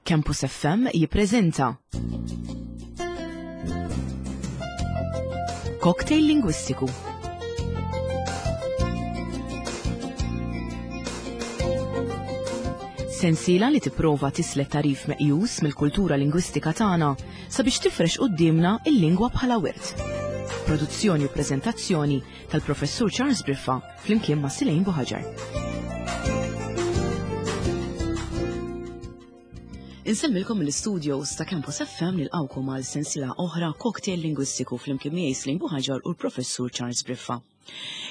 Campus FM jippreżenta Cocktail Lingwistiku. Sensiela li tipprova tislet tarif meqjus mill-kultura lingwistika tagħna sabiex tifrex quddiemna il-lingwa bħala wirt. Produzzjoni u preżentazzjoni tal-Professur Charles Briffa flimkien ma' Silejn Buħaġar. Insellmilkom mill-studios ta' Campus FM nilqawkom għal sensiela oħra cocktail lingwistiku flimkien miegħi Slim Buħaġar u l-Professur Charles Briffa.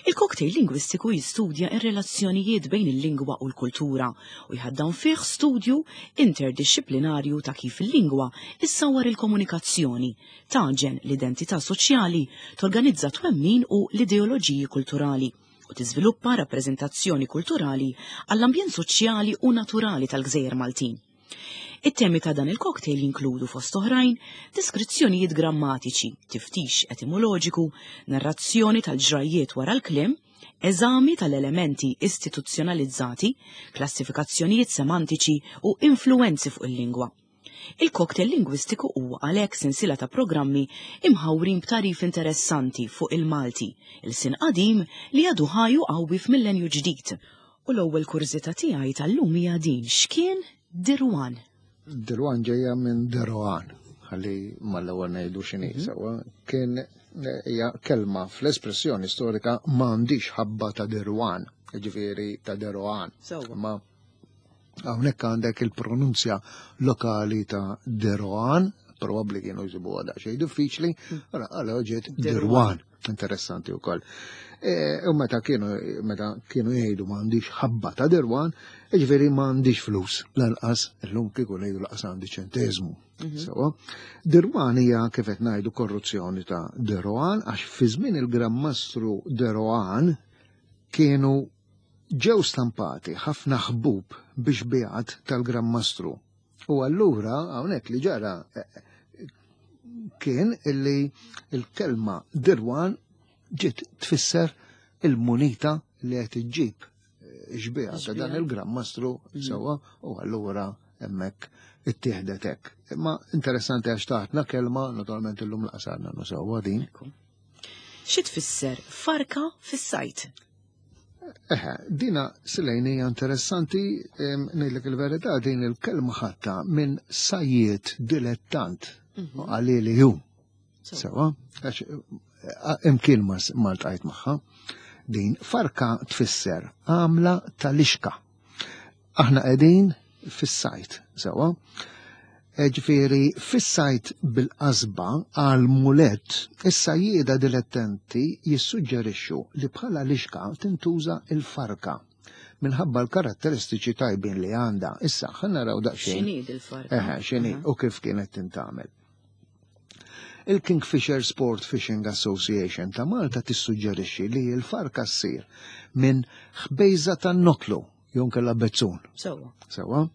Il-cocktail lingwistiku jistudja ir-relazzjonijiet bejn il-lingwa u l-kultura u jħaddan fih studju interdixxiplinarju ta' kif il-lingwa issawwar il-komunikazzjoni, tagħġen l-identità soċjali, torganizza twemmin u l-ideoloġiji kulturali u tiżviluppa rappreżentazzjoni kulturali għall-ambjent soċjali u naturali tal-gżejjer Maltin. It-temi ta' dan il-cocktail jinkludu fost oħrajn deskrizzjonijiet grammatiċi, tiftix etimoloġiku, narrazzjoni tal-ġrajjiet wara l-kliem, eżami tal-elementi istituzzjonalizzati, klassifikazzjonijiet semantiċi u influwenzi fuq il-lingwa. Il-cocktail lingwistiku huwa għalhekk sensiela ta' programmi imħawrin b'tagħrif interessanti fuq il-Malti, ilsien qadim li għadu ħaj u qawwi f'millenju ġdid. U l-ewwel kurżità tiegħi tal-lum hija din, x'kien Dirwan? Dirwan ġejja minn Deroan, ħalli mal-ewwel ngħidu x'inhi mhm. sewwa, kien hija kelma fl-espressjoni storika m'għandix ħabba ta' Dirwan, ġifieri ta' Deroan. Ma Hawnhekk għandek il-pronunzja lokali ta' Deroan, probabbli kienu jsibuha daqsxejn diffiċli, hmm. għala ġiet Dirwan. Interessanti wkoll. E, u meta kienu meta kienu jgħidu m'għandix ħabba ta' Dirwan, jiġifieri m'għandix flus lanqas illum kieku ngħidu laqas għandi ċenteżmu. Mhm. Sewa, Dirwan hija kif qed ngħidu korruzzjoni ta' Deroan għax fi żmien il-Gran Mastru Deroan kienu Ġew stampati ħafna ħbub bi xbihat tal-Gran Mastru. U allura hawnhekk li ġara eh, kien illi l-kelma dirwan ġiet tfisser il-munita li qed iġġib eh, xbiha ta' dan il-Gran Mastru mm. sewwa u allura hemmhekk ittieħdet hekk. Imma interessanti għax taħtna kelma, naturalment illum laqsarna nużawha din. Xi tfisser farka fis-sajt? Eħe, dina silejn hija interessanti, ngħidlek il-verità din il-kelma ħatta minn sajjiet dilettant mhm. għalili ju. Sewa, għax eh, imkien ma ltqajt magħha. Din farka tfisser għamla tal-ixka. Aħna qegħdin fis-sajt, sewa. E, ġifieri fis-sajt bil-qasba għal mulet, is-sajjieda dilettenti jissuġġerixxu li bħala lixka tintuża il-farka minħabba l-karatteristiċi tajbin li għandha. Issa, ħa naraw daqsxejn. X'inhi il-farka? Eħe, x'inhi u kif kienet tintgħamel. Il-Kingfisher Sport Fishing Association ta' Malta tissuġġerixxi li l-farka ssir minn ħbejża tan-notlu jew nkella bezzun. Sewwa. Sewwa.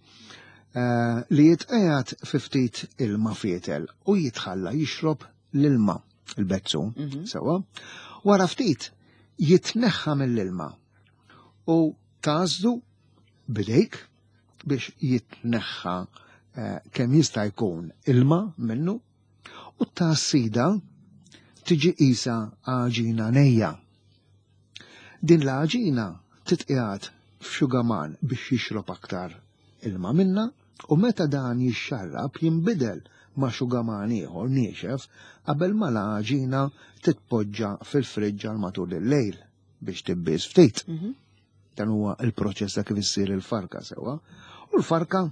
Eh, li jitqiegħed fi ftit ilma fietel u jitħalla jixrob l-ilma il-bezzun. Mhm. Sewwa. Wara ftit jitneħħa mill-ilma u tażdu bidejk biex jitneħħa eh, kemm jista' jkun ilma minnu u t-tassida tiġi qisha għaġina nejja. Din l-għaġina titqiegħed f'xugaman biex jixrob aktar ilma minnha u meta dan jixxarrab jinbidel ma' xugaman ieħor niexef qabel ma l-għaġina titpoġġa fil-friġġ għal matul il-lejl biex tibbies ftit. Mhm. Dan huwa il-proċess ta' kif issir il-farka sewwa. U l-farka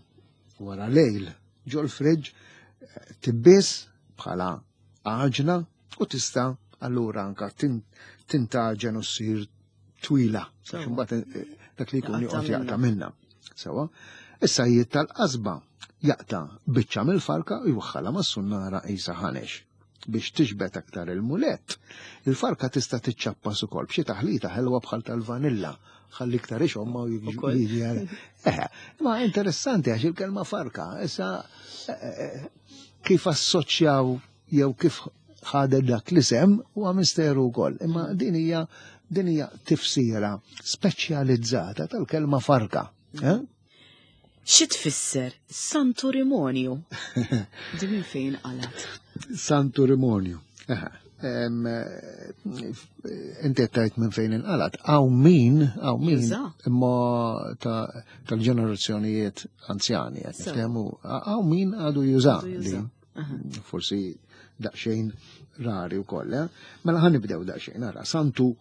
wara lejl ġol friġġ eh, tibbies bħala għaġna u tista' allura anka tintaġen u ssir twila. Imbagħad eh, dak li jkun joqgħod jaqta' minna. Sewa. Issa jiet tal-qasba jaqta' biċċa mill-farka u jwaħħalha mas-sunnara qisha ħanex biex tixbet aktar il-mulett. Il-farka tista' tiċċappas ukoll b'xi taħlita ħelwa bħal tal-vanilla ħalli iktar ixomma u jiġi għal. Eh, ma interessanti għax il-kelma farka, issa eh, eh, kif assoċjaw jew kif ħadet dak l-isem huwa misteru wkoll. Imma din hija din hija tifsira speċjalizzata tal-kelma farka. Eh? Xi tfisser Santu Rimonju? Din minn fejn qalat? Santu Rimonju. Inti qed minn fejn inqalat. Hawn min, hawn min imma tal-ġenerazzjonijiet anzjani qed niftehmu, hawn min għadu juża li forsi daqsxejn rari wkoll. Eh? Mela ħa nibdew daqsxejn ara Santu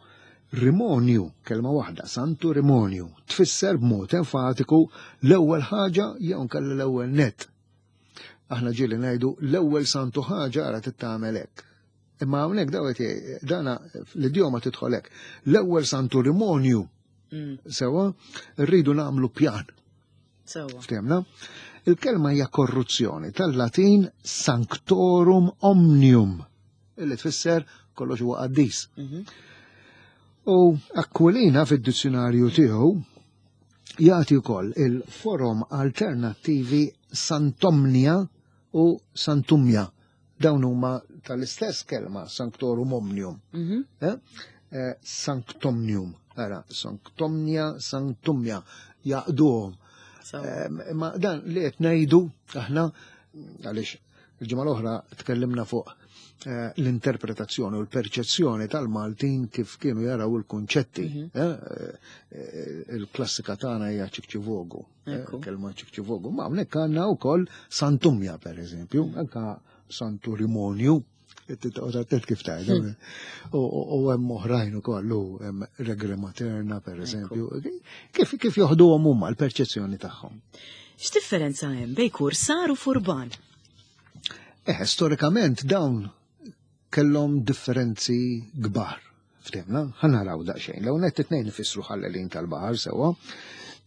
Rimonju, kelma waħda, Santu Rimonju, tfisser b'mod enfatiku l-ewwel ħaġa jew nkella l-ewwel net. Aħna ġieli ngħidu l-ewwel santu ħaġa ara tittamel hekk. Imma hawnhekk daw qed dana l-idjoma tidħol hekk. L-ewwel Santu Rimonju. Sewa, rridu nagħmlu pjan. Sewa. Ftemna? Il-kelma hija korruzzjoni tal-Latin sanctorum omnium, illi tfisser kollox huwa qaddis. U Aquilina fid-dizzjonarju tiegħu jagħti wkoll il-forom alternattivi Santomnia u Santumja. Dawn huma tal-istess kelma sanctorum omnium. Eh? Sanctomnium, ara, Sanctomnia, Sanctumja, jaqduhom. Ma dan li qed ngħidu aħna għaliex il-ġimgħa l-oħra tkellimna fuq l-interpretazzjoni u l-perċezzjoni tal-Maltin kif kienu jaraw il-kunċetti. Il-klassika tagħna hija ċikċivogu, kelma ċikċivogu. Ma hawnhekk għandna wkoll Santumja pereżempju, anka Santu Rimonju, Tgħid kif tgħid. U hemm oħrajn ukoll u hemm Regre Materna pereżempju. Kif joħduhom huma l-perċezzjoni tagħhom. X'differenza hemm bejn kursar u furban? Storikament dawn kellhom differenzi kbar. Ftemna, ħa naraw daqsxejn. L-ewwel nett it-tnejn ifissru ħallelin tal-baħar sewwa.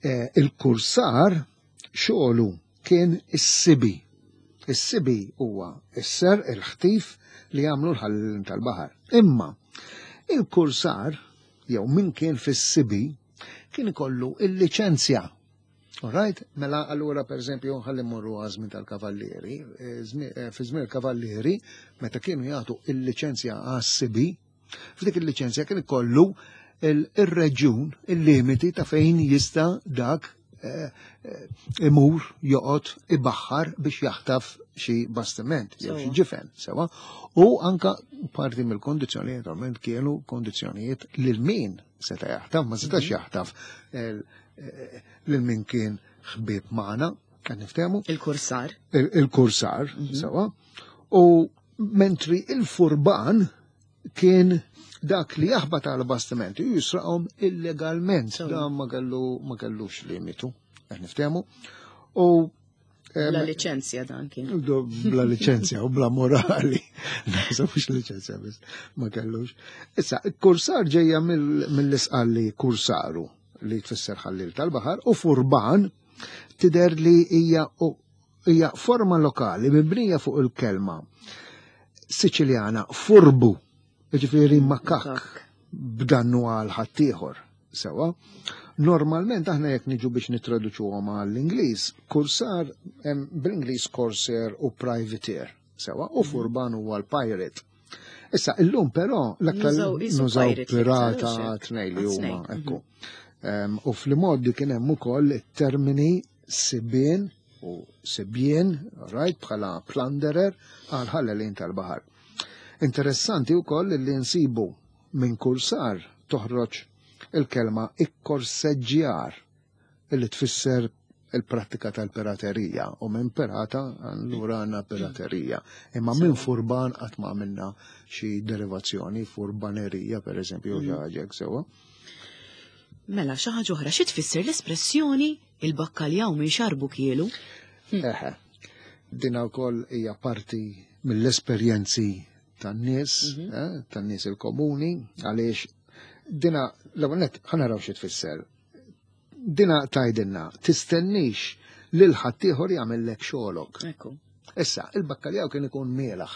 Il-kursar xogħlu kien is-sibi. Is-sibi huwa s-serq, il-ħtif li jagħmlu l-ħallelin tal-baħar. Imma il-kursar jew min kien fis-sibi kien ikollu il-liċenzja. All right? Mela allura per eżempju ħalli mmorru għażmin tal-kavallieri, fi żmien il-kavallieri meta kienu jagħtu il-liċenzja għas-sibi, f'dik il-liċenzja kien ikollu il-reġjun, il-limiti ta' fejn jista' dak imur joqgħod ibaħħar biex jaħtaf xi bastiment jew xi ġifen, sewa. U anka parti mill-kondizzjonijiet naturalment kienu kondizzjonijiet lil min seta' jaħtaf, ma setax jaħtaf lil min kien ħbieb magħna, qed niftehmu. Il-kursar. Il-kursar, sewa. U mentri il-furban kien dak li jaħbat għal bastimenti u jisraqhom illegalment. Dan ma kellux limitu, qed niftehmu. U Bla liċenzja dan kien. Bla liċenzja u bla morali. Naħseb mhux liċenzja biss, ma kellux. Issa, kursar ġejja mill-isqalli kursaru li tfisser ħallil tal-baħar u furban tidher li hija forma lokali mibnija fuq il-kelma Siċiljana furbu, jiġifieri makak b'dannu għal ħaddieħor. Sewa. Normalment aħna jekk niġu biex nittraduċuhom għall-Ingliż, kursar hemm bl-Ingliż corsair u privateer. Sewa, u furban huwa l-pirate. Issa, illum però l-aktar nużaw pirata tnej li huma, ekku. U fl-modi kien hemm ukoll it-termini sibien u sibien, right, bħala plunderer għal ħallelin tal-baħar. Interessanti wkoll li nsibu minn kursar toħroġ il-kelma ikkorseġġjar illi tfisser il-prattika tal-piraterija u minn pirata allura għandna piraterija. Imma minn furban qatt ma għamilna xi derivazzjoni, furbanerija per eżempju, xi ħaġa hekk sewwa. Mela xi ħaġa oħra, xi tfisser l-espressjoni il-bakkaljaw minn xarbu kielu? Eħe, dina wkoll hija parti mill-esperjenzi tan-nies, tan-nies il-komuni, għaliex dina l-ewwel nett ħa naraw xi tfisser. Dina tgħidilna tistennix lil ħaddieħor jagħmellek xogħolok. Issa, il-bakkaljaw kien ikun mielaħ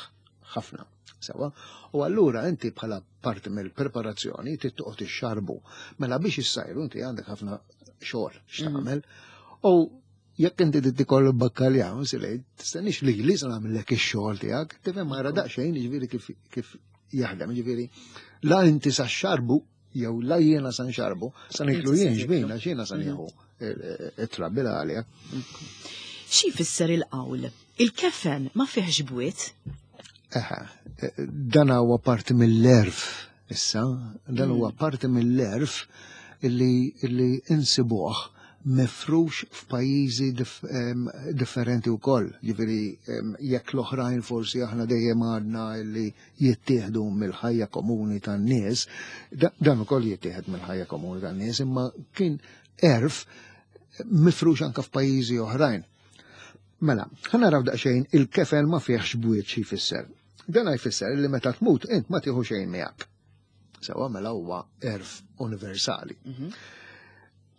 ħafna, sewa, u allura inti bħala parti mill-preparazzjoni trid toqgħod ixxarbu. Mela biex issajru inti għandek ħafna xogħol x'tagħmel. U jekk inti trid tikol bakkaljaw, silej, tistennix li li se nagħmellek ix-xogħol tiegħek, tifhem ara daqsxejn jiġifieri kif jaħdem, jiġifieri la inti sa xarbu jew la jiena sa nxarbu, sa niklu jien xbin għax jiena sa nieħu. it-trabbi l-għalja. Xi jfisser il-qawl? Il-kefen ma fihx bwiet? Eħe, dan huwa parti mill-erf issa, dan huwa parti mill-erf illi, illi insibuh mifrux f'pajjiżi differenti wkoll. Ġifieri jekk l-oħrajn forsi aħna dejjem għadna illi jittieħdu mill-ħajja komuni tan-nies, dan ukoll jittieħed mill-ħajja komuni tan-nies, imma kien erf mifrux anka f'pajjiżi oħrajn. Mela, ħa naraw daqsxejn il-kefen ma fihx bwiet xi jfisser. Dan jfisser li meta tmut int ma tieħu xejn miegħek. Sewa mela huwa erf universali.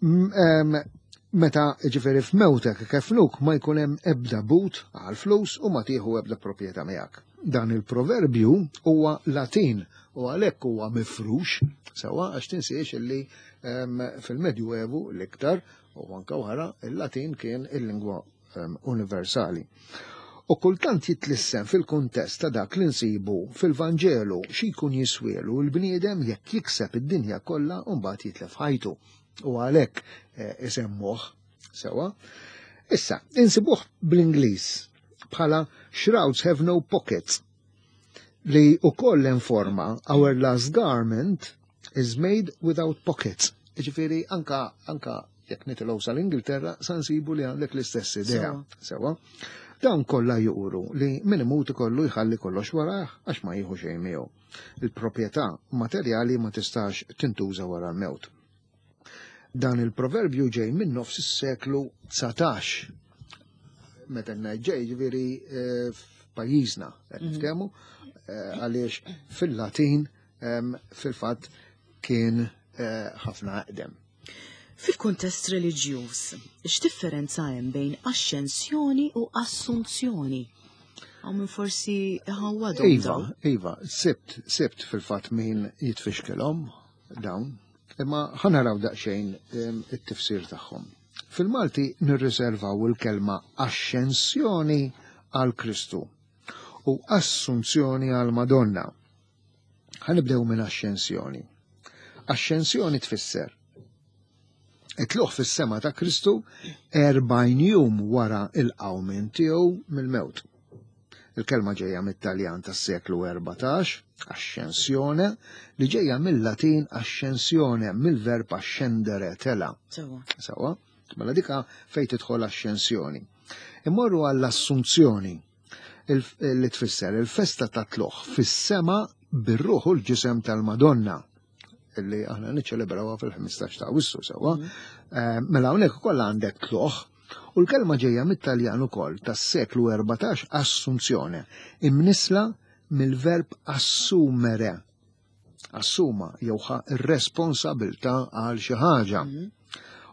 Meta ġifieri f'mewtek kefnuk ma jkun hemm ebda but għal flus u ma tieħu ebda proprjetà miegħek. Dan il-proverbju huwa Latin u għalhekk huwa mifrux sewa għax tinsiex illi fil-Medjuevu l-iktar u anka wara il-Latin kien il-lingwa universali. U kultant jitlissen fil-kuntest ta' dak li nsibu fil-Vanġelu xi jkun jiswielu l-bniedem jekk jikseb id-dinja kollha u mbagħad jitlef ħajtu. U għalhekk isemmuh sewa. Issa, insibuh bl-Ingliż bħala shrouds have no pockets li ukoll informa our last garment is made without pockets. Ġifieri anka anka jekk nitilgħu sal-Ingilterra sa nsibu li għandek l-istess idea. Sewa. Dawn kollha juru li min imut ikollu jħalli kollox warah għax ma jieħu xejn miegħu. Il-proprjetà materjali ma tistax tintuża wara l-mewt. Dan il-proverbju ġej minn nofs is-seklu 19. Meta ngħid ġej ġifieri f'pajjiżna qed nitkellmu għaliex fil-Latin fil-fatt kien ħafna eqdem. Fil-kuntest reliġjuż, x'differenza hemm bejn axxensjoni u assunzjoni? Hawn min forsi iħawwadhom Iva, dawn. iva, sibt, sibt fil-fatt min jitfixkelhom dawn, imma ħa naraw daqsxejn it-tifsir tagħhom. Fil-Malti nirriservaw il-kelma axxensjoni għal Kristu u assunzjoni għal Madonna. Ħa nibdew minn axxensjoni. Axxensjoni tfisser it-tluq fis-sema ta' Kristu 40 jum wara il-qawmien tiegħu mill-mewt. Il-kelma ġejja mit-Taljan tas-seklu 14, ascensjone, li ġejja mill-Latin ascensione, mill-verb ascendere, tela. Sewa. Sewa, mela dika fejn tidħol ascensjoni. Immorru għall-assunzjoni li tfisser il-festa ta' tluq fis-sema bir-ruħ u l-ġisem tal-Madonna illi aħna niċċelebrawha fil-15 ta' Awwissu sewa. Mela hawnhekk ukoll għandek tluq u l-kelma ġejja mit-Taljan ukoll tas-seklu 14 assunzjone, imnisla mill-verb assumere. Assuma jew ħa ir-responsabilità għal xi ħaġa.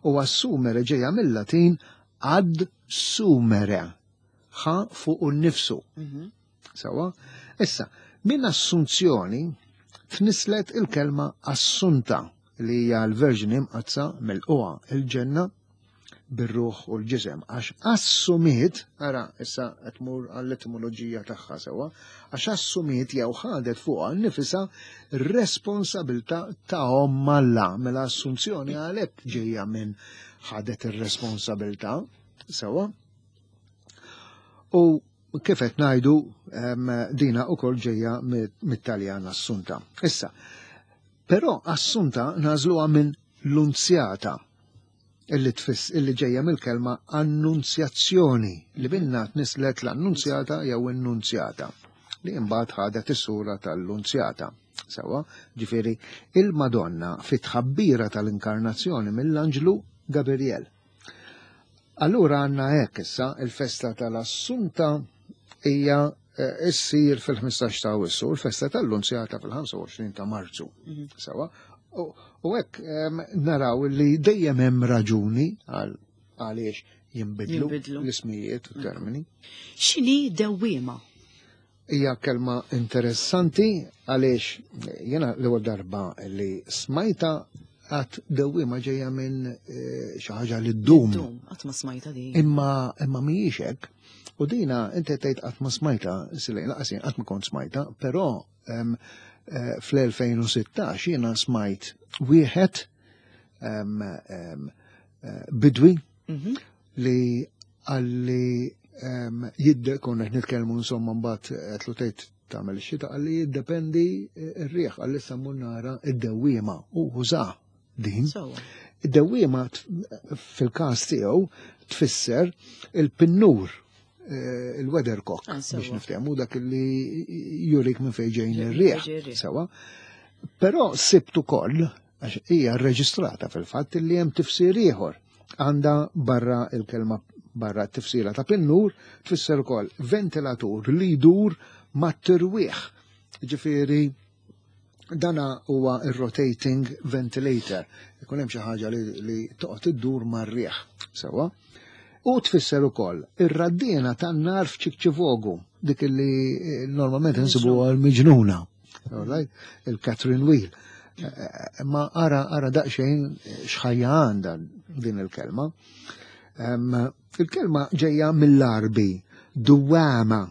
U assumere ġejja mill-Latin ad sumere, ħa fuq nnifsu. Sewa? Issa, minn assunzjoni tnislet il-kelma assunta li hija l-Verġni Mqaddsa mill-qwa il-ġenna bir-ruħ u l-ġisem, għax assumiet, ara issa qed tmur għall-etimoloġija tagħha sewa, għax assumiet jew ħadet fuqha nnifisha responsabilità ta' omm Alla, mela assunzjoni għalhekk ġejja minn ħadet ir-responsabilità sewa. U kif qed ngħidu dina wkoll ġejja mit-Taljan assunta. Issa, però assunta nażluha minn lunzjata illi tfiss illi ġejja mill-kelma annunzjazzjoni li minna tnislet l-annunzjata jew innunzjata li imbagħad ħadet is-sura tal-lunzjata. Sewa, ġifieri il-Madonna fit-tħabbira tal-inkarnazzjoni mill-Anġlu Gabriel. Allura għandna hekk issa il-festa tal-Assunta hija issir fil-15 ta' Awwissu, il-festa tal-Lunzjata fil-25 ta' Marzu. Sewa, u hekk naraw li dejjem hemm raġuni għaliex jinbidlu Jinbidlu. l-ismijiet u termini. X'inhi dewwiema? Hija kelma interessanti għaliex jiena l-ewwel darba li smajta għat dewwiema ġejja minn xi ħaġa li ddum. Ddum, qatt ma smajta din. Imma mhijiex hekk. U dina inti tgħid qatt ma smajta, silej laqas jien qatt ma kont smajta, però fl-2016 jiena smajt wieħed bidwi li għalli jidde konna qed nitkellmu insomma mbagħad qed tgħid tagħmel ix-xita qalli jiddependi r-riħ qalli issa mmur nara id-dewwiema u uża din. Id-dewwiema fil-każ tiegħu tfisser il-pinnur il-weathercock biex niftehmu dak li jurik minn fejn ġejn ir-riħ. Sewa. Però sibt ukoll għax hija rreġistrata fil-fatt li hemm tifsir ieħor. Għandha barra il-kelma barra t-tifsira ta' pinnur tfisser ukoll ventilatur li jdur mat-tirwieħ. Ġifieri dana huwa ir-rotating ventilator. Ikun hemm xi ħaġa li toqgħod iddur mar-riħ. Sewa. U tfisser ukoll ir-raddiena tan-nar f'Ċikċivogu, dik li normalment insibuha l-miġnuna. All right? Il-Catherine Wheel. Ma ara ara daqsxejn x'ħajja għandha din il-kelma. Il-kelma ġejja mill-Arbi, duwama.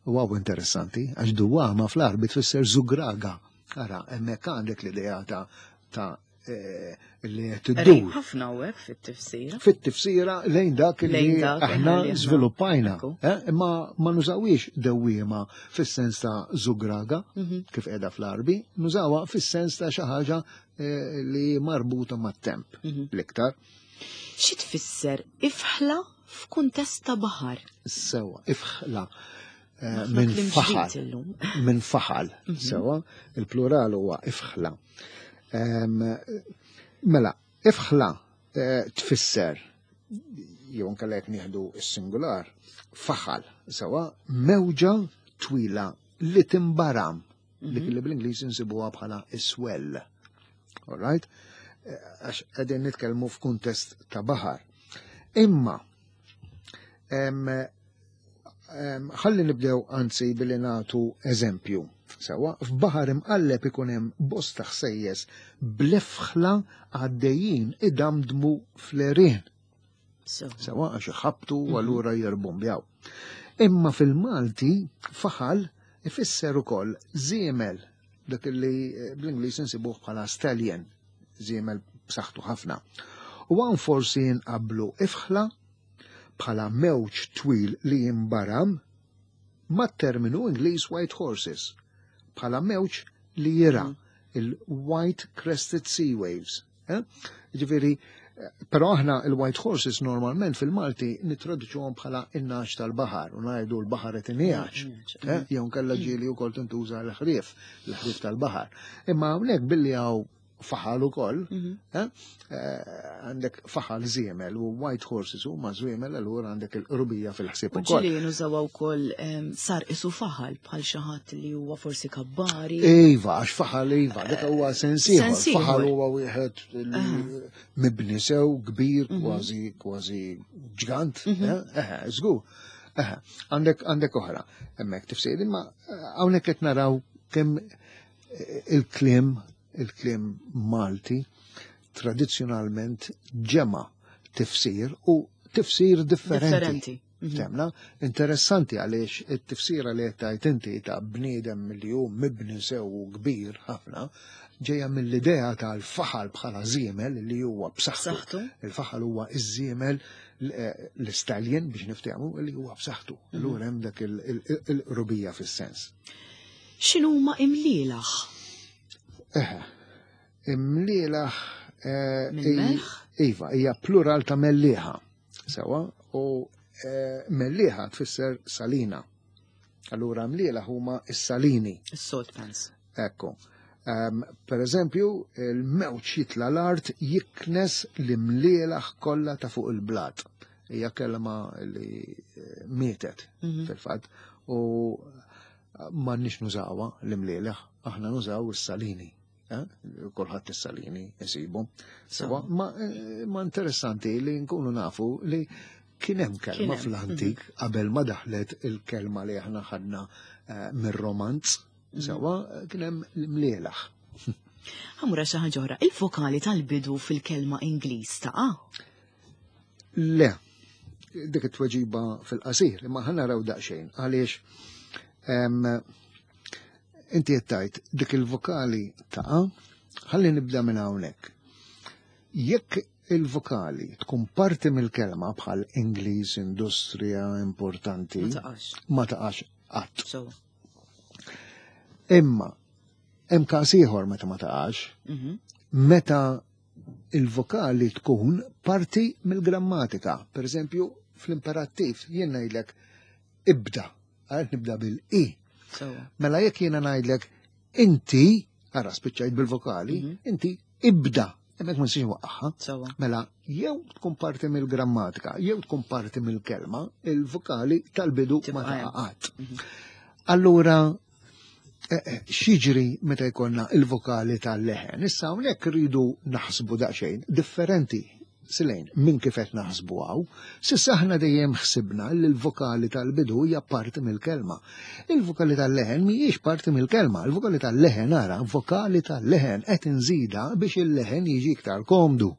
Wow, interessanti, għax duwama fl-Arbi tfisser żugraga. Ara, hemmhekk għandek l-idea ta' li qed iddur. Ħafna hawnhekk fit-tifsira. Fit-tifsira lejn dak li aħna żviluppajna. Imma ma nużawiex dewwiema fis-sens ta' żugraga, kif qiegħda fl-Arbi, nużawha fis-sens ta' xi ħaġa li marbuta mat-temp l-iktar. Xi tfisser ifħla f'kuntest ta' baħar? Sewa, ifħla. Minn faħal. Minn faħal, sewa, il-plural huwa ifħla. Mela, ifħla tfisser, jew anke jekk nieħdu s-singular, faħal, sewa, mewġa twila li timbaram, dik li bl-Ingliż insibuha bħala iswell. All right? Għax qegħdin nitkellmu f'kuntest ta' baħar. Imma, ħalli nibdew anzi billi nagħtu eżempju. Sewa, f'baħar imqalleb ikun hemm bosta ħsejjes bl-ifħla għaddejjin idamdmu fl-għerien. Sewa, għax iħabtu u allura jirbumbjaw. Imma fil-Malti faħal ifisser ukoll żiemel, dak li bl-Ingliż insibuh bħala stallion, żiemel b'saħħtu ħafna. U hawn forsi nqabblu ifħla bħala mewġ twil li jimbaram mat-terminu Ingliż white horses, bħala mewġ li jira, il-white crested sea waves. Ġifieri, però aħna il-white horses normalment fil-Malti nitraduċuhom bħala in-nagħaġ tal-baħar u ngħidu l-baħar qed ingħaġ. Jew nkella ġieli wkoll tintuża l-ħrief, l-ħrief tal-baħar. Imma hawnhekk billi hawn faħal ukoll, għandek faħal żiemel u white horses huma żwiemel, allura għandek il-qrubija fil-ħsieb ukoll. Ġieli nużaw ukoll sar isu faħal bħal xi ħadd li huwa forsi kabbari. Iva, għax faħal iva, dak huwa sens ieħor. Faħal huwa wieħed li mibni sew kbir, kważi kważi ġgant, żgur. Għandek oħra, hemmhekk tifsir, imma hawnhekk qed naraw kemm il-kliem Malti tradizzjonalment ġema tifsir u tifsir differenti. Temna, interessanti għaliex it-tifsira li qed tgħid inti ta' bniedem li hu mibni sew u kbir ħafna ġejja mill-idea tal-faħal bħala żiemel li huwa b'saħħtu. Il-faħal huwa iż-żiemel l-istallion biex niftehmu li huwa b'saħħtu. Allura hemm dak il-qrubija fis-sens. X'inhuma imlielaħ? Imlielaħ Mill-melħ? Iva, hija plural ta' mellieħa. Sewa, u mellieħa tfisser salina. Allura mlielaħ huma s-salini. Is-salt pans. Ekku. Per eżempju, il-mewġ jitla l-art jiknes l-imlielaħ kollha ta' fuq il-blat. Hija kelma li mietet fil-fatt u m'għandniex nużawha l-imlielaħ, aħna nużaw is-salini. Kulħadd is-salini isibu. Sewa, ma interessanti li nkunu nafu li kien hemm kelma fl-antik qabel ma daħlet il-kelma li aħna ħadna mir-romanz. Sewa, kien hemm l-imlielaħ. Ħamura xi ħaġa oħra, il-vokali tal-bidu fil-kelma Ingliż taqa'? Le, dik it-tweġiba fil-qasir, imma ħa naraw daqsxejn għaliex inti qed tgħid dik il-vokali taqa', ħalli nibda minn hawnhekk. Jekk il-vokali tkun parti mill-kelma bħal Ingliż, industrija, importanti, Ma taqax. ma taqax qatt. So. Imma hemm każ ieħor meta ma taqax, meta il-vokali tkun parti mill-grammatika. Per eżempju, fl-imperattiv jien ngħidlek ibda, għal nibda bil-i. So. Mela jekk jiena ngħidlek inti, ara spiċċajt bil-vokali, inti ibda, hemmhekk ma nistax nwaqqagħha. Sewa. Mela, jew tkun parti mill-grammatika, jew tkun parti mill-kelma, il-vokali tal-bidu ma Tibqa' hemm. taqa' qatt. Allura, x'jiġri meta jkollna il-vokali tal-leħen? Issa hawnhekk rridu naħsbu daqsxejn differenti silejn minn kif qed naħsbu hawn. S'issa aħna dejjem ħsibna li l-vokali tal-bidu hija parti mill-kelma. Il-vokali tal-leħen mhijiex parti mill-kelma. Il-vokali tal-leħen ara, vokali tal-leħen qed inżida biex il-leħen jiġi iktar komdu.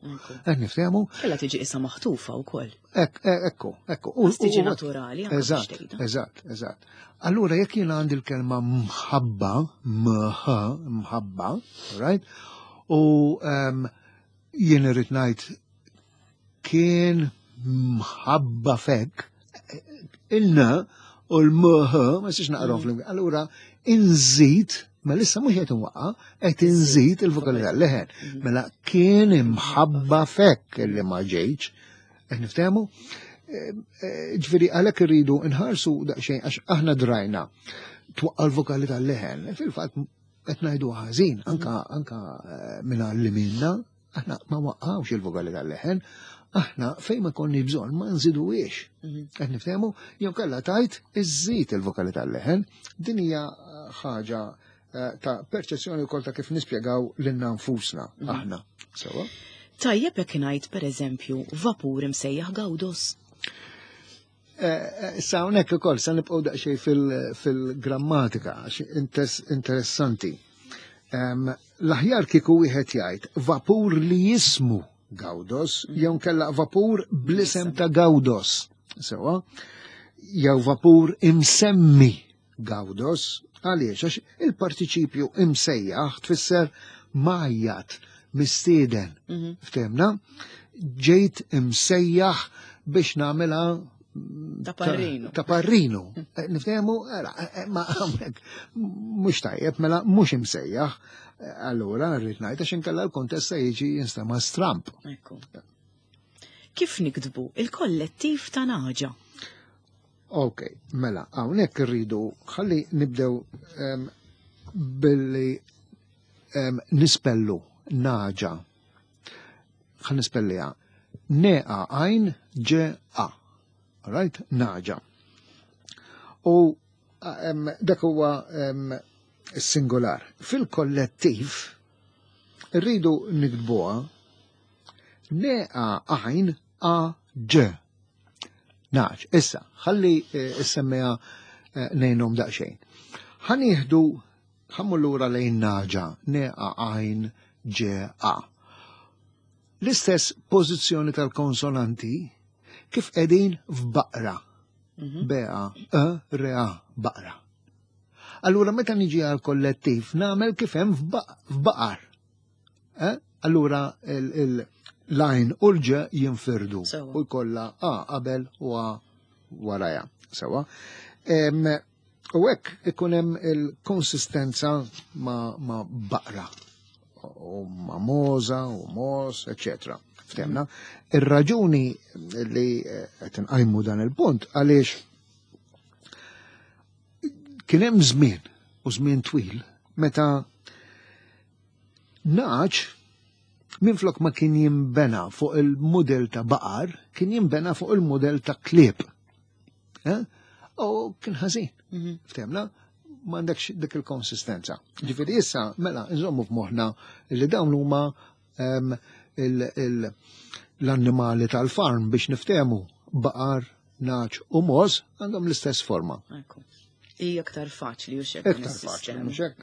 Qed niftehmu? Kella tiġi issa maħtufa wkoll. Ekku, ekku. Għas tiġi naturali, anke biex Eżatt, tgħidha. eżatt, eżatt. Allura jekk jiena għandi l-kelma mħabba, mħ, mħabba, right? U jien irrid ngħid kien mħabba fek, il-n u l-mh, ma nistax naqrahom flimkien. Allura inżid, ma issa mhux qed inwaqqa', qed inżid il-vokali tal-leħen. Mela kien imħabba fek illi ma ġejtx. Qed niftehmu? Ġifieri għalhekk irridu nħarsu daqsxejn għax aħna drajna twaqqa' l-vokali tal-leħen. Fil-fatt qed ngħidu ħażin, anka minn għallimilna, aħna ma waqqawx il-vokali tal-leħen, aħna fejn ma konni bżonn ma nżiduhiex. Qed niftehmu? Jew kellha tajt iżżid il-vokali tal-leħen. Din hija ħaġa ta' perċezzjoni wkoll ta' kif nispjegaw lilna nfusna aħna. Sewa? Tajjeb jekk ngħid pereżempju vapur imsejjaħ Gawdos. Issa hawnhekk ukoll se nibqgħu daqsxejn fil-grammatika għax interessanti. L-aħjar kieku wieħed jgħid vapur li jismu Gawdos, jew nkella vapur bl-isem ta' Gawdos. Sewa, jew vapur imsemmi Gawdos, għaliex għax il-partiċipju imsejjaħ tfisser majjat, mistieden. Ftemna? Ġejt imsejjaħ biex nagħmilha Ta' parrinu. Ta' parrinu. Niftehmu, era, ma hawnhekk mhux tajjeb, mela mhux imsejjaħ. Allura rrid ngħid għax inkella l-kontest se jiġi jinstema' stramp. Ekku. Kif niktbu il-kollettiv ta' naġa? Ok, mela, hawnhekk irridu ħalli nibdew billi nispellu naġa. Ħa nispelliha. Neqa għajn ġe a. Right? Naġa. U dak huwa singular. Fil-kollettiv rridu niktbuha neqa għajn a ġ. Naġ, issa, ħalli issemmija nejnhom daqsxejn. Ħa nieħdu, ħa mmur lura lejn naġa, neqa għajn ġe a. L-istess pożizzjoni tal-konsonanti kif qegħdin f'baqra. B A E R A, baqra. Allura meta niġi għal kollettiv nagħmel kif hemm f'baqar. Allura l-għajn u l-ġ jinfirdu. Sewa. U jkollha A qabel u A waraja. Sewa. U hekk ikun hemm il-konsistenza ma' baqra u ma' moza u mos, eccetera. Ftemna. Ir-raġuni li qed inqajmu dan il-punt għaliex kien hemm żmien u żmien twil meta naġ minflok ma kien jinbena fuq il-mudell ta' baqar, kien jinbena fuq il-mudell ta' klieb. U kien ħażin. Ftemna? M'għandekx dik il-konsistenza. Ġifieri issa, mela, nżommu f'moħħna li dawn huma l-annimali tal-farm biex niftehmu baqar, naġ u moż għandhom l-istess forma. Ekku. Hija aktar faċli u xek Iktar din faċli, is-sistema. mhux hekk?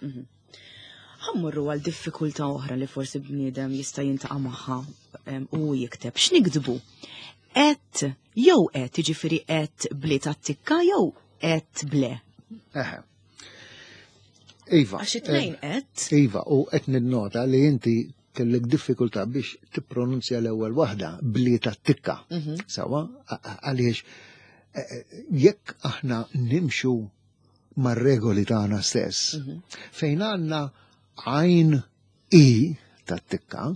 Ħa mmorru għal diffikultà oħra li forsi bniedem jista' jintaqa' magħha u jikteb. X'niktbu? Et jew et, jiġifieri et bli tat-tikka jew et ble? Eħe. Iva. Għax it-tnejn et. Iva, u qed ninnota li inti kellek diffikultà biex tippronunzja l-ewwel waħda bli tat-tikka. Sawa, għaliex eh, eh, jekk aħna nimxu mar-regoli tagħna stess, fejn għandna għajn i tat-tikka,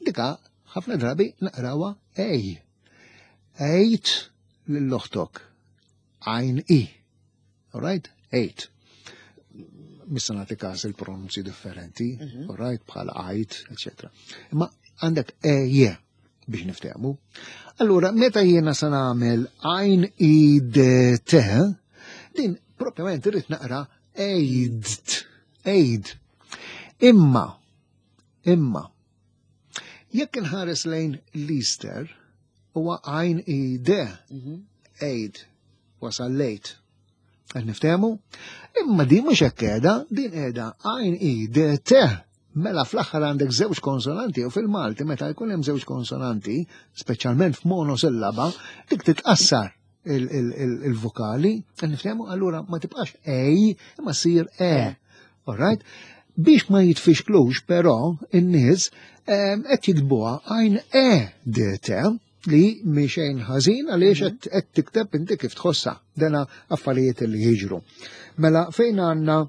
dika ħafna drabi naqrawha ej. Ejt lill-oħtok għajn i. All right? Ejt. Missa nagħti każ il-pronunzi differenti, all right, bħal għajt, etc. Imma għandek e je biex niftehmu. Allura, meta jiena se nagħmel għajn i d t, din propjament irrid naqra ejdt, ejd. Imma, imma, jekk inħares lejn l-Easter, huwa għajn i d, ejd, wasal lejt. Qed niftehmu? Imma din mhux hekk qiegħda, din qiegħda għajn i d t. Mela fl-aħħar għandek żewġ konsonanti u fil-Malti meta jkun hemm żewġ konsonanti, speċjalment f'monosillaba, dik titqassar il-vokali, qed niftehmu allura ma tibqax ej, imma ssir e. All right? Biex ma jitfixklux però in-nies qed jiktbuha għajn e d t li mhi xejn ħażin għaliex mhm. qed tikteb inti kif tħossha. Dena affarijiet li jiġru. Mela fejn għandna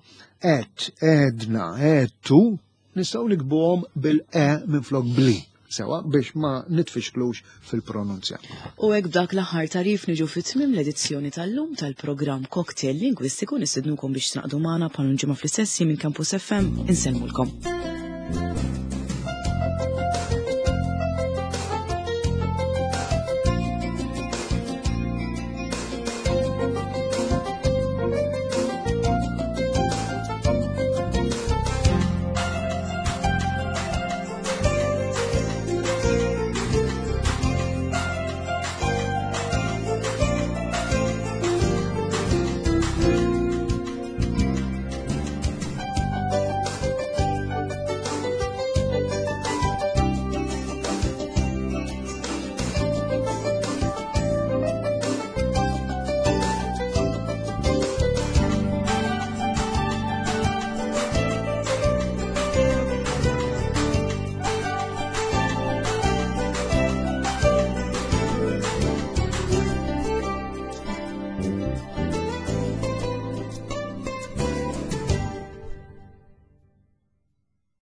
qed, edna, edtu, nistgħu nikbuhom bil-e minflok bli sewa biex ma nitfixklux fil-pronunzja. U hekk b'dak l-aħħar tarif niġu fit-tmiem l-edizzjoni tal-lum tal-programm Cocktail Lingwistiku nistednukom biex tnaqdu magħna bħal ġimgħa fl-istess minn Campus FM insellmulkom.